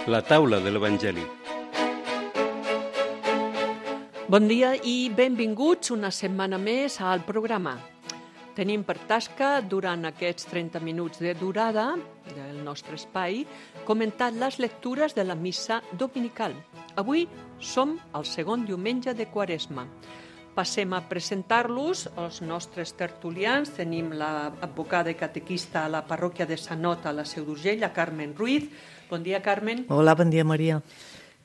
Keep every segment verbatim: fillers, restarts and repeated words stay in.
La taula de l'Evangeli. Bon dia i benvinguts una setmana més al programa. Tenim per tasca, durant aquests trenta minuts de durada del nostre espai, comentar les lectures de la missa dominical. Avui som al segon diumenge de Quaresma. Passem a presentar-los els nostres tertulians. Tenim l'advocada i catequista a la parròquia de Sant Ot, a la Seu d'Urgell, la Carmen Ruiz. Bon dia, Carmen. Hola, bon dia, Maria.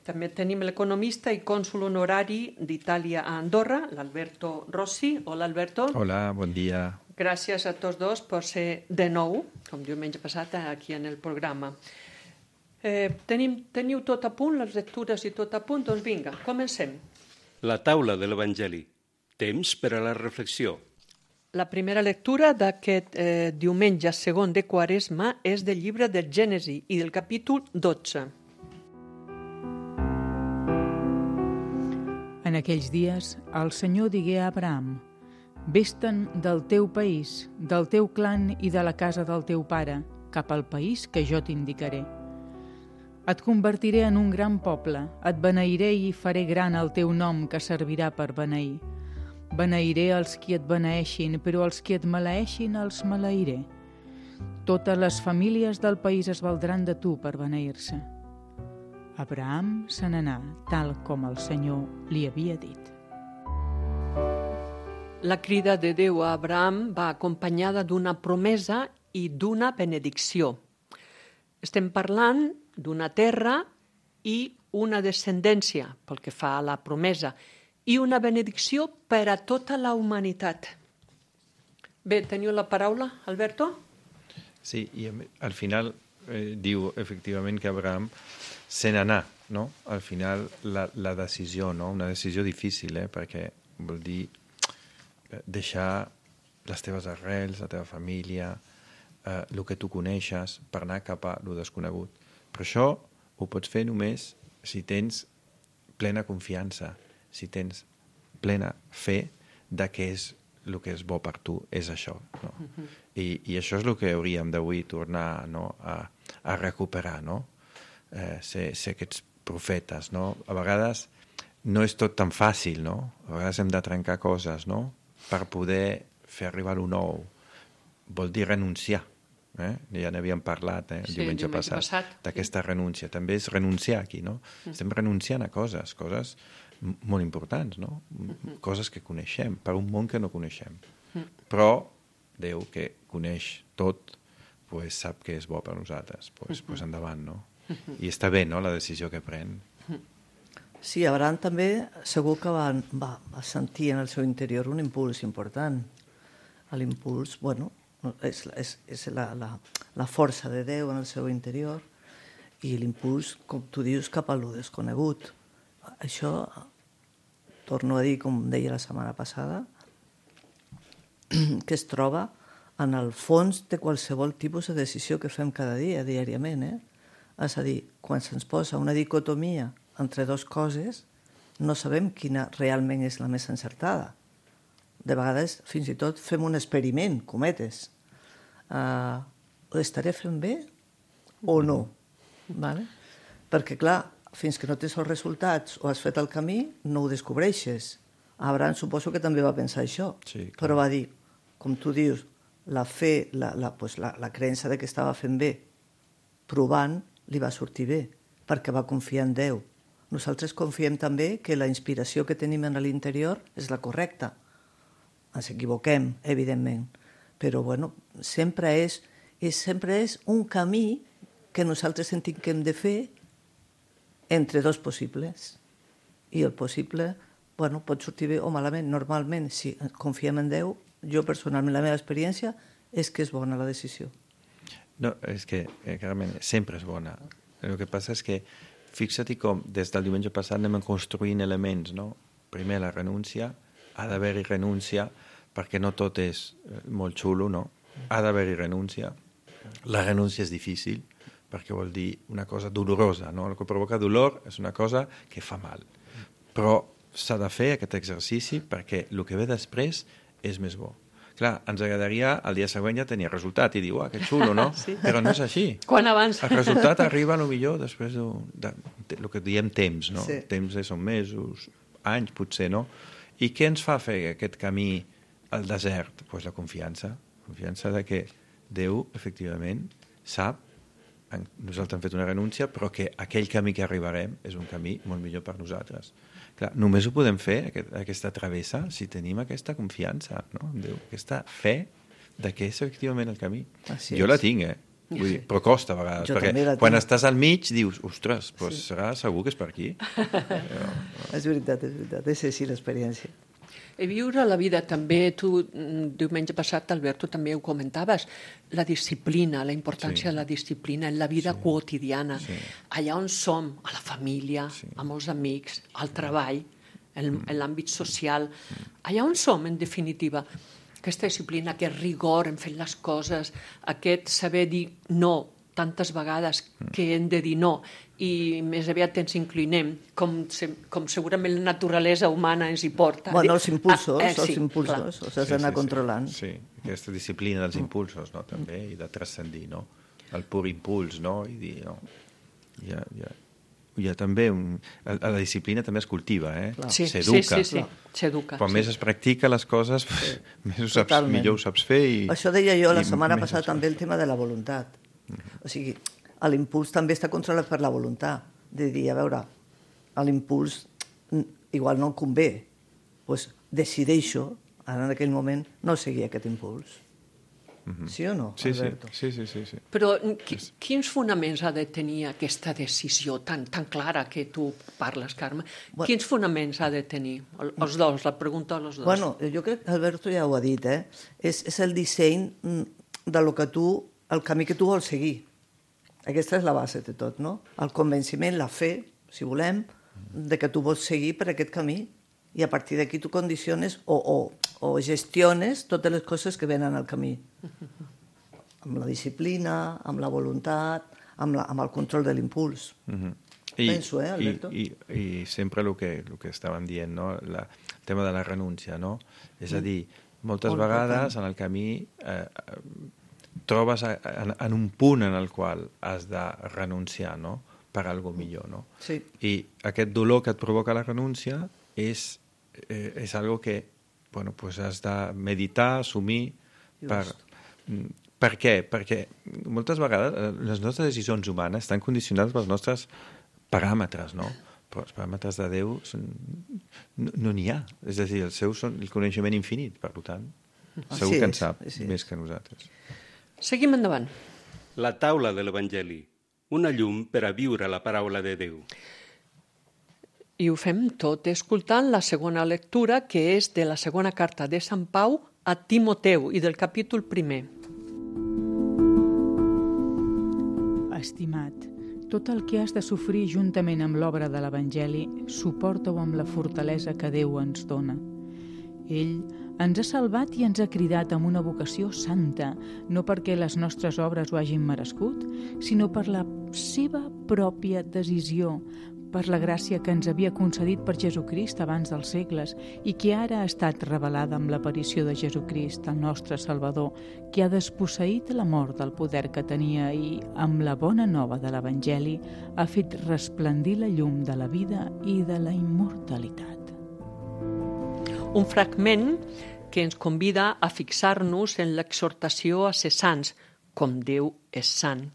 També tenim l'economista i cònsul honorari d'Itàlia a Andorra, l'Alberto Rossi. Hola, Alberto. Hola, bon dia. Gràcies a tots dos per ser de nou, com diumenge passat, aquí en el programa. Eh, tenim, teniu tot a punt, les lectures i tot a punt? Doncs vinga, comencem. La taula de l'Evangeli. Temps per a la reflexió. La primera lectura d'aquest eh, diumenge segon de Quaresma és del llibre del Gènesi i del capítol dotze. En aquells dies, el Senyor digué a Abraham: «Ves-te'n del teu país, del teu clan i de la casa del teu pare, cap al país que jo t'indicaré. Et convertiré en un gran poble, et beneiré i faré gran el teu nom que servirà per beneir. Beneiré els qui et beneeixin, però els qui et maleeixin els maleiré. Totes les famílies del país es valdran de tu per beneir-se». Abraham se n'anà, tal com el Senyor li havia dit. La crida de Déu a Abraham va acompanyada d'una promesa i d'una benedicció. Estem parlant d'una terra i una descendència, pel que fa a la promesa, i una benedicció per a tota la humanitat. Bé, teniu la paraula, Alberto? Sí, i al final eh, diu efectivament que Abraham se n'anà, no? Al final la, la decisió, no? Una decisió difícil, eh? Perquè vol dir deixar les teves arrels, la teva família, eh, el que tu coneixes, per anar cap a lo desconegut. Però això ho pots fer només si tens plena confiança, si tens plena fe de què és el que és bo per tu, és això. No? Uh-huh. I, I això és el que hauríem d'avui tornar, no? a, a recuperar, no? Eh, ser, ser aquests profetes. No? A vegades no és tot tan fàcil, no? A vegades hem de trencar coses, no? Per poder fer arribar lo nou. Vol dir renunciar. Eh? Ja n'havíem parlat eh, el sí, diumenge, diumenge passat, passat d'aquesta sí. renúncia. També és renunciar aquí, no? Mm. Estem renunciant a coses, coses molt importants, no? Mm-hmm. Coses que coneixem, per un món que no coneixem. Mm. Però Déu, que coneix tot, pues, sap que és bo per nosaltres. Pues, mm-hmm. pues endavant, no? Mm-hmm. I està bé, no?, la decisió que pren. Sí, Abraham també segur que va, va, va sentir en el seu interior un impuls important. L'impuls, bueno, és, és, és la, la, la força de Déu en el seu interior i l'impuls, com tu dius, cap a lo desconegut. Això, torno a dir, com deia la setmana passada, que es troba en el fons de qualsevol tipus de decisió que fem cada dia, diàriament. Eh? És a dir, quan se'ns posa una dicotomia entre dues coses, no sabem quina realment és la més encertada. De vegades, fins i tot, fem un experiment, cometes. Uh, ho estaré fent bé o no? Vale? Perquè, clar, fins que no tens els resultats o has fet el camí, no ho descobreixes. Abraham suposo que també va pensar això, sí, però va dir, com tu dius, la fe, la, la, pues la, la creença de que estava fent bé, provant, li va sortir bé, perquè va confiar en Déu. Nosaltres confiem també que la inspiració que tenim en l'interior és la correcta. Ens equivoquem, evidentment, però bueno, sempre és, és, sempre és un camí que nosaltres sentim que hem de fer entre dos possibles. I el possible, bueno, pot sortir bé o malament. Normalment, si confiem en Déu, jo personalment, la meva experiència és que és bona la decisió. No, és que, eh, Carmen, sempre és bona. El que passa és que, fixa't com des del diumenge passat anem construint elements, no? Primer la renúncia, ha d'haver-hi renúncia, perquè no tot és molt xulo, no? Ha d'haver-hi renúncia. La renúncia és difícil, perquè vol dir una cosa dolorosa, no? El que provoca dolor és una cosa que fa mal. Però s'ha de fer aquest exercici perquè el que ve després és més bo. Clar, ens agradaria el dia següent ja tenir resultat i dir, uah, que xulo, no? Sí. Però no és així. Quan abans? El resultat arriba, a lo millor, després de, de, de, lo que diem temps, no? Sí. Temps són mesos, anys, potser, no? I què ens fa fer aquest camí al desert? Doncs pues la confiança. Confiança de que Déu, efectivament, sap, nosaltres hem fet una renúncia, però que aquell camí que arribarem és un camí molt millor per nosaltres. Clar, només ho podem fer, aquest, aquesta travessa, si tenim aquesta confiança, no? En Déu, aquesta fe de que és efectivament el camí. Així jo és. la tinc, eh? Vull dir, però costa a vegades, Jo també la perquè quan tinc. estàs al mig dius, ostres, pues Sí. serà segur que és per aquí. És veritat, és veritat, és així l'experiència. I viure la vida també, tu mm, diumenge passat, Albert, tu també ho comentaves, la disciplina, la importància Sí. de la disciplina en la vida Sí. quotidiana, Sí. allà on som, a la família, Sí. amb els amics, al treball, en, en l'àmbit social, allà on som, en definitiva. Aquesta disciplina, aquest rigor en fer les coses, aquest saber dir no tantes vegades que hem de dir no i més aviat ens inclinem, com, se, com segurament la naturalesa humana ens hi porta. Bueno, els impulsos, Ah, eh, els sí, impulsos, clar. els has d'anar controlant. Sí, aquesta disciplina dels impulsos, no? També, i de transcendir, no? El pur impuls, no? I dir, no? Hi ha, hi ha, hi ha també un... La, la disciplina també es cultiva, eh? Clar. Sí, sí, s'educa. sí, sí, s'educa. Quan sí. més es practica les coses, sí. més ho saps, Totalment. millor ho saps fer. I, Això deia jo la i setmana més passada ho saps. també el tema de la voluntat. O sigui, l'impuls també està controlat per la voluntat. De dir, a veure, l'impuls igual no em convé. Doncs decideixo, ara en aquell moment, no seguir aquest impuls. Sí o no, Sí, sí, Alberto? sí, sí, sí, sí. Però qui, quins fonaments ha de tenir aquesta decisió tan, tan clara que tu parles, Carme? Bueno. Quins fonaments ha de tenir? El- Els dos, la pregunta als dos. Bueno, jo crec que Alberto ja ho ha dit, eh? És, és el disseny mm, de lo que tu, el camí que tu vols seguir. Aquesta és la base de tot, no? El convenciment, la fe, si volem, de que tu vols seguir per aquest camí i a partir d'aquí tu condiciones o, o, o gestiones totes les coses que venen al camí. Amb la disciplina, amb la voluntat, amb, la, amb el control de l'impuls. Mhm. Penso, eh, Alberto? I, i, i sempre el que, el que estàvem dient, no? La, el tema de la renúncia, no? És a dir, moltes Molt vegades en el camí eh, trobes a, en, en un punt en el qual has de renunciar, no? Per algo millor, no? Sí. I aquest dolor que et provoca la renúncia és, eh, és algo que bueno, pues has de meditar, assumir per, Just. per què? Perquè moltes vegades eh, les nostres decisions humanes estan condicionades pels nostres paràmetres, no? Però els paràmetres de Déu són... no n'hi ha. És a dir, els seus són el coneixement infinit, per tant, segur Així que en és, sap així és. més que nosaltres. Seguim endavant. La taula de l'Evangeli, una llum per a viure la paraula de Déu. I ho fem tot escoltant la segona lectura, que és de la segona carta de Sant Pau a Timoteu i del capítol primer. Estimat, tot el que has de sofrir juntament amb l'obra de l'Evangeli, suporta-ho amb la fortalesa que Déu ens dona. Ell ens ha salvat i ens ha cridat amb una vocació santa, no perquè les nostres obres ho hagin merescut, sinó per la seva pròpia decisió, per la gràcia que ens havia concedit per Jesucrist abans dels segles i que ara ha estat revelada amb l'aparició de Jesucrist, el nostre Salvador, que ha desposseït la mort del poder que tenia i, amb la bona nova de l'Evangeli, ha fet resplendir la llum de la vida i de la immortalitat. Un fragment que ens convida a fixar-nos en l'exhortació a ser sants, com Déu és sant.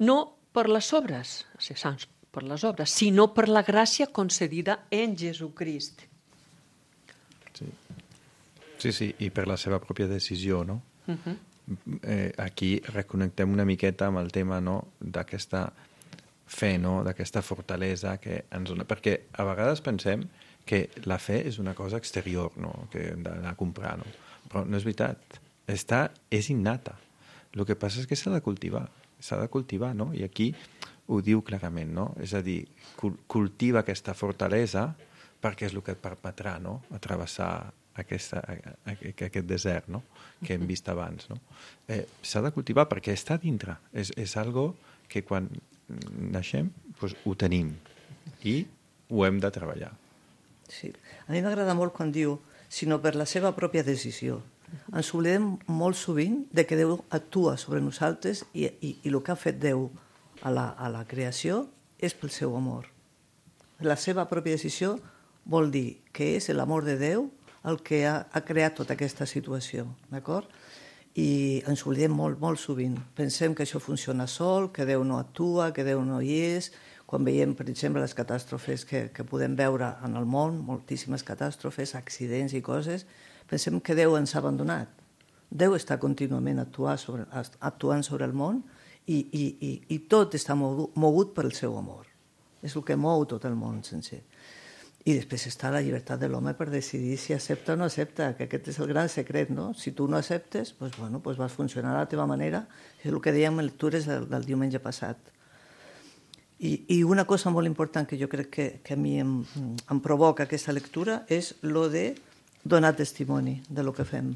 No per les obres, a ser sants per les obres, sinó per la gràcia concedida en Jesucrist. Sí. sí, sí, i per la seva pròpia decisió, no? Uh-huh. Eh, aquí reconnectem una miqueta amb el tema, no?, d'aquesta fe, no?, d'aquesta fortalesa que ens dona. Perquè a vegades pensem que la fe és una cosa exterior, no?, que hem d'anar a comprar, no? Però no és veritat. Està, és innata. El que passa és que s'ha de cultivar. S'ha de cultivar, no? I aquí ho diu clarament, no? És a dir, cultiva aquesta fortalesa perquè és el que et permetrà, no?, a travessar aquesta, aquest desert, no?, que hem vist abans, no? Eh, s'ha de cultivar perquè està dintre. És, és algo que quan naixem doncs, ho tenim i ho hem de treballar. Sí. A mi m'agrada molt quan diu sinó per la seva pròpia decisió. Ens oblidem molt sovint de que Déu actua sobre nosaltres i, i, i el que ha fet Déu a la, a la creació és pel seu amor. La seva pròpia decisió vol dir que és l'amor de Déu el que ha, ha creat tota aquesta situació, d'acord? I ens oblidem molt, molt sovint. Pensem que això funciona sol, que Déu no actua, que Déu no hi és. Quan veiem, per exemple, les catàstrofes que, que podem veure en el món, moltíssimes catàstrofes, accidents i coses, pensem que Déu ens ha abandonat. Déu està contínuament actuant sobre, actuant sobre el món i, i, i, i tot està mogut, mogut pel seu amor. És el que mou tot el món sencer. I després està la llibertat de l'home per decidir si accepta o no accepta, que aquest és el gran secret, no? Si tu no acceptes, doncs, bueno, doncs vas funcionar a la teva manera. És el que dèiem en lectures del, del diumenge passat. I, I una cosa molt important que jo crec que, que a mi em, em provoca aquesta lectura és lo de donar testimoni de lo que fem.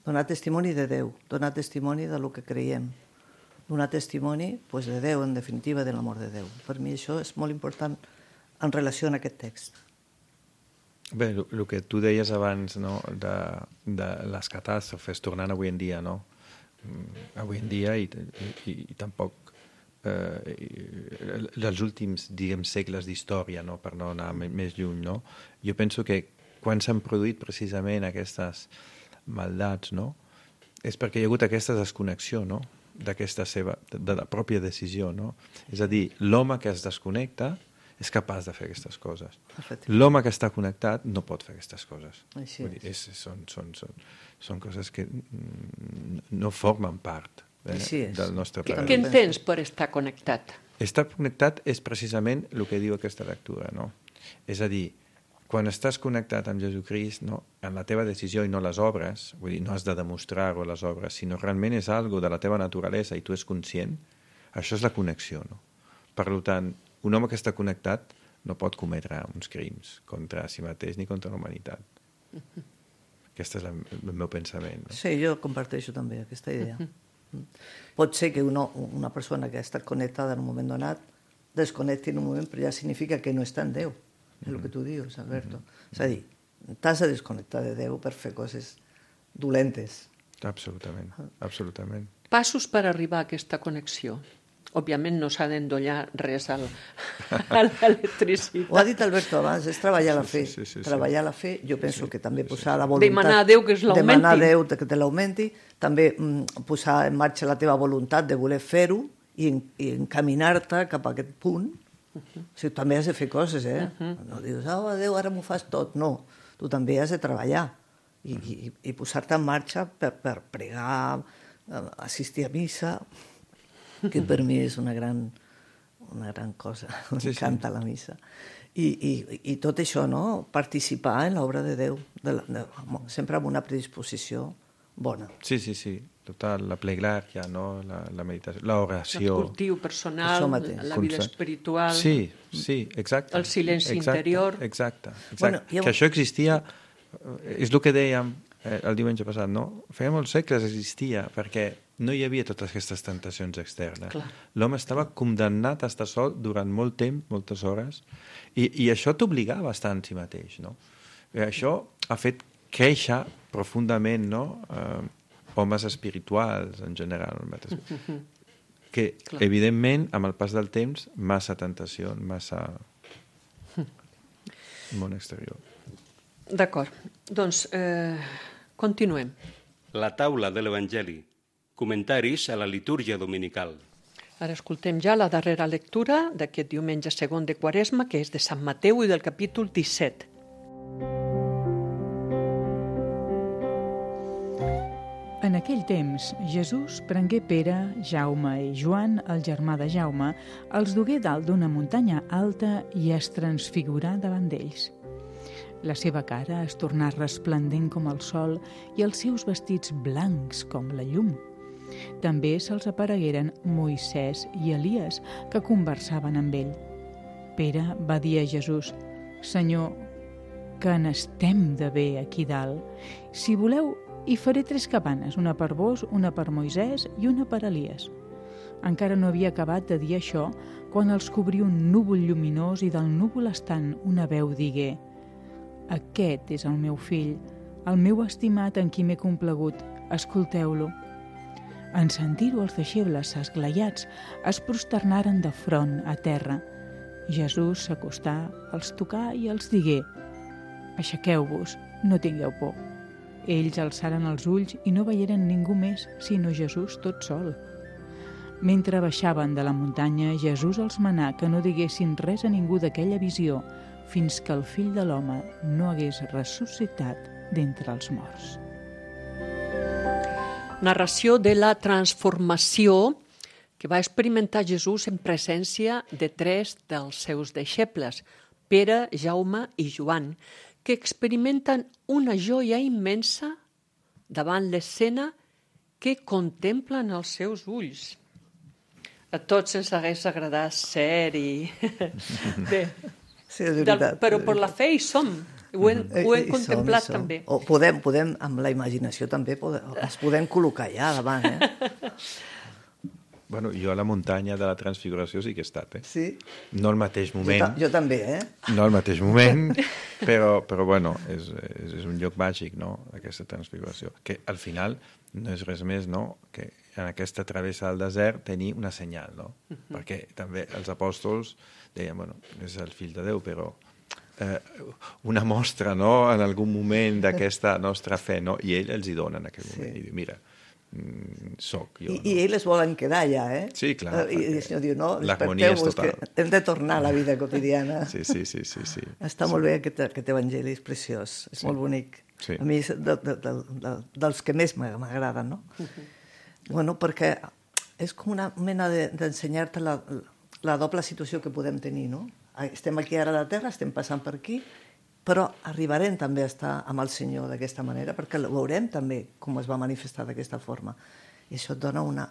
Donar testimoni de Déu, donar testimoni de lo que creiem. Donar testimoni pues, de Déu, en definitiva, de l'amor de Déu. Per mi això és molt important en relació amb aquest text. Bé, el que tu deies abans, no, de, de les catàstrofes, tornant avui en dia, no? Avui en dia i, i, i tampoc eh, dels últims, diguem, segles d'història, no? Per no anar més lluny, no? Jo penso que quan s'han produït precisament aquestes maldats, no? És perquè hi ha hagut aquesta desconnexió, no? D'aquesta seva, de la pròpia decisió, no? És a dir, l'home que es desconnecta és capaç de fer aquestes coses. L'home que està connectat no pot fer aquestes coses. Així Vull dir, és, són, són, són, són coses que no formen part eh, del nostre paradís. Què entens per estar connectat? Estar connectat és precisament el que diu aquesta lectura, no? És a dir, quan estàs connectat amb Jesucrist, no, en la teva decisió i no les obres, vull dir, no has de demostrar-ho les obres, sinó realment és algo de la teva naturalesa i tu és conscient, això és la connexió, no? Per tant, un home que està connectat no pot cometre uns crims contra si mateix ni contra la humanitat. Aquest és el meu pensament. No? Sí, jo comparteixo també aquesta idea. Pot ser que una, una persona que ha estat connectada en un moment donat desconnecti en un moment, però ja significa que no està en Déu. És el que tu dius, Alberto. Mm-hmm. És a dir, t'has de desconnectar de Déu per fer coses dolentes. Absolutament, absolutament. Passos per arribar a aquesta connexió. Òbviament no s'ha d'endollar res al, a l'electricitat. Ho ha dit Alberto abans, és treballar la fe. Sí, sí, sí, sí. Treballar la fe, jo penso sí, que també posar la voluntat... Demanar a Déu que es l'augmenti. Demanar a Déu que te l'augmenti, també mm, posar en marxa la teva voluntat de voler fer-ho i, en, i encaminar-te cap a aquest punt. Uh-huh. O sigui, també has de fer coses, eh? Uh-huh. No dius, oh, Déu, ara m'ho fas tot. No, tu també has de treballar i, uh-huh. i, i posar-te en marxa per, per pregar, assistir a missa, que per mi és una gran, una gran cosa. M'encanta sí, sí. la missa. I, i, I tot això, no? Participar en l'obra de Déu, de la, de, sempre amb una predisposició bona. Sí, sí, sí. Total, la pleglària, no? la, la meditació, l'oració. El cultiu personal, la vida espiritual. Sí, sí, exacte. El silenci exacte, interior. Exacte, exacte. Bueno, jo... Que això existia, és el que dèiem eh, el diumenge passat, no? Feia molts segles existia, perquè no hi havia totes aquestes tentacions externes. L'home estava condemnat a estar sol durant molt temps, moltes hores, i, i això t'obligava a estar en si mateix, no? I això ha fet créixer profundament, no?, eh, homes espirituals, en general, que, Clar. evidentment, amb el pas del temps, massa tentació, massa món exterior. D'acord. Doncs eh, continuem. La taula de l'Evangeli. Comentaris a la litúrgia dominical. Ara escoltem ja la darrera lectura d'aquest diumenge segon de Quaresma, que és de Sant Mateu i del capítol disset. En aquell temps, Jesús prengué Pere, Jaume i Joan, el germà de Jaume, els dugué dalt d'una muntanya alta i es transfigurà davant d'ells. La seva cara es tornà resplendent com el sol i els seus vestits blancs com la llum. També se'ls aparegueren Moisès i Elies, que conversaven amb ell. Pere va dir a Jesús: «Senyor, que n'estem de bé aquí dalt. Si voleu, hi faré tres cabanes, una per vos, una per Moisès i una per Elies». Encara no havia acabat de dir això quan els cobrí un núvol lluminós i del núvol estant una veu digué: «Aquest és el meu fill, el meu estimat en qui m'he complagut, escolteu-lo. En sentir-ho, els deixebles esglaiats es prosternaren de front a terra. Jesús s'acostà, els tocà i els digué: aixequeu-vos, no tingueu por. Ells alçaren els ulls i no veieren ningú més, sinó Jesús tot sol. Mentre baixaven de la muntanya, Jesús els manà que no diguessin res a ningú d'aquella visió fins que el fill de l'home no hagués ressuscitat d'entre els morts. Narració de la transformació que va experimentar Jesús en presència de tres dels seus deixebles, Pere, Jaume i Joan, que experimenten una joia immensa davant l'escena que contemplen els seus ulls. A tots ens hagués agradat ser i... Bé, Sí, és del, veritat. però per la fe hi som, ho hem, ho hem I- i som, contemplat i som. també. O podem, podem, amb la imaginació també, podem, ens podem col·locar allà davant, eh? Bueno, jo a la muntanya de la Transfiguració sí que he estat, eh? Sí? No al mateix Jo, moment, ta jo també, eh? no al mateix moment, però, però bueno, és, és, és un lloc màgic, no?, aquesta Transfiguració, que al final no és res més, no?, que en aquesta travessa del desert tenir una senyal, no? Uh -huh. Perquè també els apòstols deien, bueno, és el fill de Déu, però eh, una mostra, no?, en algun moment d'aquesta nostra fe, no?, i ell els hi dona en aquell Sí. moment, i diu, mira, mm, soc jo, I, no? I ells volen quedar allà, eh? Sí, clar, I, i el senyor diu, no, l'harmonia és desperteu-vos, total. que hem de tornar a la vida quotidiana. Sí, sí, sí, sí, sí. Està molt bé aquest, aquest evangeli, és preciós, és Sí. molt bonic. Sí. A mi és de, de, de, de, dels que més m'ag- m'agraden, no? Uh -huh. Bueno, perquè és com una mena de- d'ensenyar-te la, la doble situació que podem tenir, no? Estem aquí ara a la Terra, estem passant per aquí, però arribarem també a estar amb el Senyor d'aquesta manera, perquè ho veurem també com es va manifestar d'aquesta forma. I això et dona una,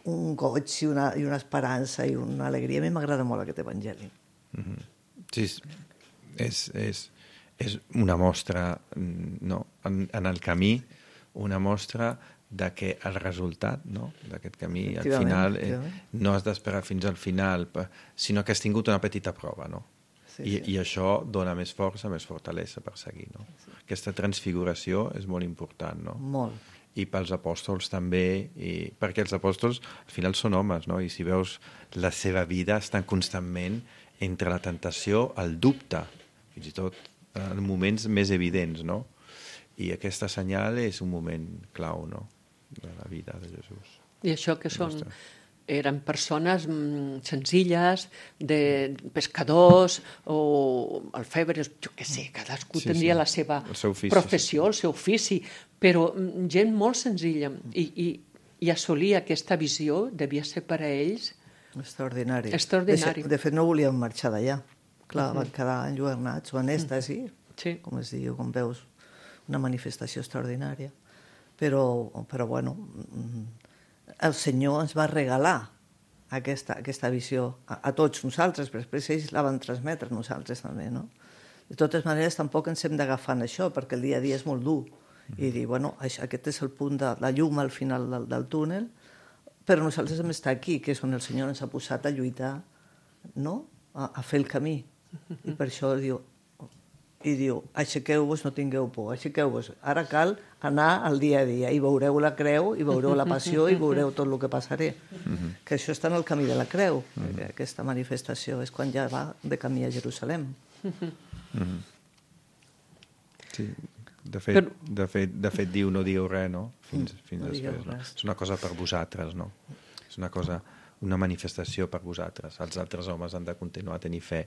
un goig i una, i una esperança i una alegria. A mi m'agrada molt aquest evangeli. Mm-hmm. Sí, és, és, és una mostra, no?, en, en el camí, una mostra de que el resultat, no?, d'aquest camí, al final, eh, no has d'esperar fins al final, sinó que has tingut una petita prova, no? Sí, I, sí. I això dona més força, més fortalesa per seguir, no? Sí. Aquesta transfiguració és molt important, no? Molt. I pels apòstols també, i, perquè els apòstols al final són homes, no? I si veus la seva vida estan constantment entre la tentació, el dubte, fins i tot en moments més evidents, no? I aquesta senyal és un moment clau, no?, de la vida de Jesús. I això que són... Eren persones mm, senzilles, de pescadors o alfebres, jo què sé, cadascú Sí, tindria sí. la seva El seu ofici, professió, el seu ofici, però mm, gent molt senzilla. I, i, i assolir aquesta visió devia ser per a ells Extraordinari. Extraordinari. De, de fet, no volíem marxar d'allà. Clar, uh -huh. van quedar enlluernats o en èxtasi, Sí. com es diu, com veus, una manifestació extraordinària. Però, però bueno, el Senyor ens va regalar aquesta, aquesta visió a, a tots nosaltres, però després ells la van transmetre a nosaltres també, no? De totes maneres, tampoc ens hem d'agafar en això, perquè el dia a dia és molt dur. I dir, bueno, això, aquest és el punt de la llum al final del, del túnel, però nosaltres hem d'estar aquí, que és on el Senyor ens ha posat a lluitar, no?, a, a fer el camí. I per això diu, i diu, aixequeu-vos, no tingueu por, aixequeu-vos. Ara cal anar al dia a dia i veureu la creu, i veureu la passió, i veureu tot el que passaré. Que això està en el camí de la creu, aquesta manifestació, és quan ja va de camí a Jerusalem. Sí, de fet, de fet, de fet diu no digueu res, no?, fins, fins no digueu després. No? res. És una cosa per vosaltres, no? És una cosa, una manifestació per vosaltres. Els altres homes han de continuar a tenir fe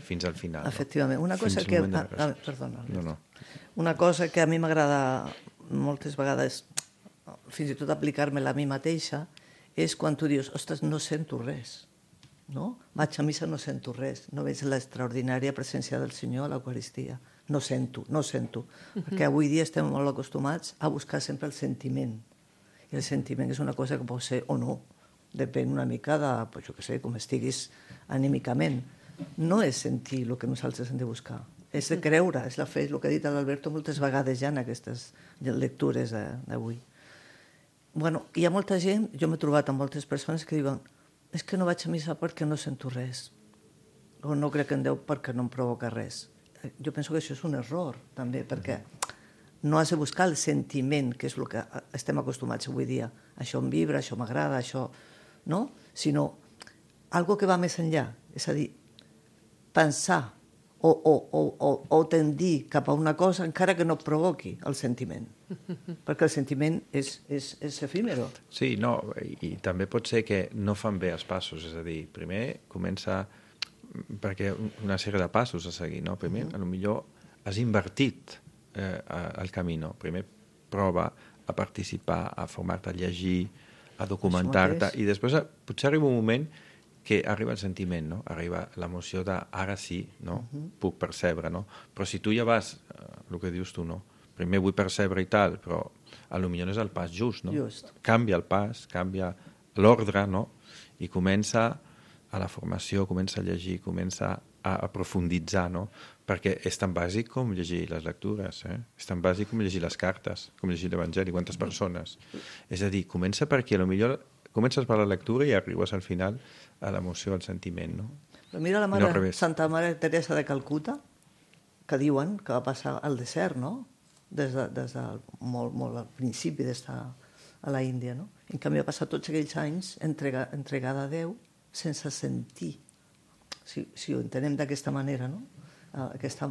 fins al final. No? Efectivament. Una cosa Fins que... al moment de Ah, la ah, resurrecció. perdona. No, no. Una cosa que a mi m'agrada moltes vegades, fins i tot aplicar-me-la a mi mateixa, és quan tu dius, ostres, no sento res. No? Vaig a missa, no sento res. No veig l'extraordinària presència del Senyor a l'Eucaristia. No sento, no sento. Perquè avui dia estem molt acostumats a buscar sempre el sentiment. I el sentiment és una cosa que pot ser o no. Depèn una mica de, pues, jo què sé, com estiguis anímicament. No és sentir el que nosaltres hem de buscar. És de creure, és la fe, és el que ha dit l'Alberto moltes vegades ja en aquestes lectures d'avui. Bueno, hi ha molta gent, jo m'he trobat amb moltes persones que diuen és que no vaig a missa perquè no sento res, o no crec en Déu perquè no em provoca res. Jo penso que això és un error, també, perquè no has de buscar el sentiment, que és el que estem acostumats avui dia. Això em vibra, això m'agrada, això... No? Sinó algo que va més enllà. És a dir, pensar o, o, o, o, o tendir cap a una cosa encara que no et provoqui el sentiment. Perquè el sentiment és, és, és efímero. Sí, no, i, i també pot ser que no fan bé els passos, és a dir, primer comença perquè una sèrie de passos a seguir, no? Primer, mm. potser has invertit eh, el camí, no? Primer prova a participar, a formar-te, a llegir, a documentar-te, i després potser arriba un moment que arriba el sentiment, no? Arriba l'emoció de ara sí, no? Uh-huh. Puc percebre, no? Però si tu ja vas, eh, el que dius tu, no? Primer vull percebre i tal, però a lo millor no és el pas just, no? Just. Canvia el pas, canvia l'ordre, no? I comença a la formació, comença a llegir, comença a, a profunditzar, no? Perquè és tan bàsic com llegir les lectures, eh? És tan bàsic com llegir les cartes, com llegir l'Evangeli, quantes persones. És a dir, comença perquè a lo millor comences per la lectura i arribes al final a l'emoció, al sentiment, no? Però mira la mare, no Santa Mare Teresa de Calcuta, que diuen que va passar al desert, no? Des de, des de molt, molt al principi d'estar a la Índia, no? En canvi va passar tots aquells anys entrega, entregada a Déu sense sentir, si, si ho entenem d'aquesta manera, no? Aquesta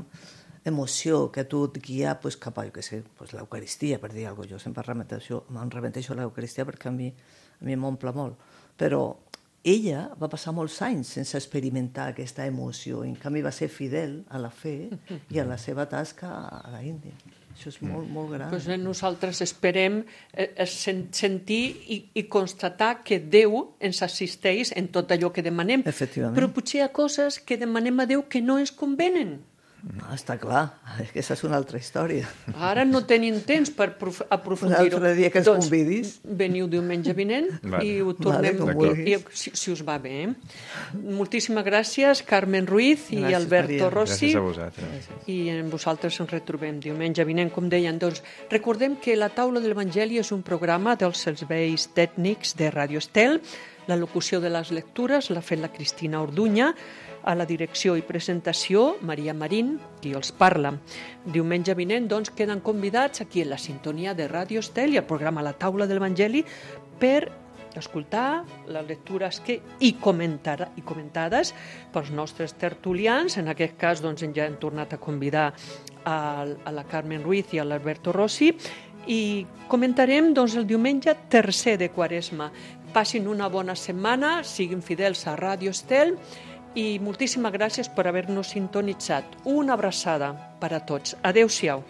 emoció que a tu et guia pues, cap a, jo què sé, pues, l'Eucaristia, per dir alguna cosa. Jo sempre remeteixo, me'n remeteixo a l'Eucaristia perquè a mi, a mi m'omple molt. Però ella va passar molts anys sense experimentar aquesta emoció. En canvi va ser fidel a la fe i a la seva tasca a la Índia. Això és molt, molt gran. Pues nosaltres esperem eh, sentir i, i constatar que Déu ens assisteix en tot allò que demanem. Efectivament. Però potser hi ha coses que demanem a Déu que no ens convenen. No, està clar, aquesta és una altra història. Ara no tenim temps per aprofundir-ho. Un altre dia que ens doncs, convidis. Veniu diumenge vinent vale. I ho tornem, vale, i, i, si us va bé. Moltíssimes gràcies, Carmen Ruiz i gràcies, Alberto Maria. Rossi. Gràcies a vosaltres. I en vosaltres ens retrobem diumenge vinent, com deien. Doncs recordem que La Taula de l'Evangeli és un programa dels serveis tècnics de Radio Estel. La locució de les lectures l'ha fet la Cristina Orduña. A la direcció i presentació, Maria Marín, qui els parla. Diumenge vinent, doncs, queden convidats aquí en la sintonia de Ràdio Estel i el programa La Taula de l'Evangeli per escoltar les lectures que hi, comentar, hi comentades pels nostres tertulians. En aquest cas, doncs, ja hem tornat a convidar a, a la Carmen Ruiz i a l'Alberto Rossi i comentarem, doncs, el diumenge tercer de Quaresma. Passin una bona setmana, siguin fidels a Ràdio Estel i moltíssimes gràcies per haver-nos sintonitzat. Una abraçada per a tots. Adéu-siau.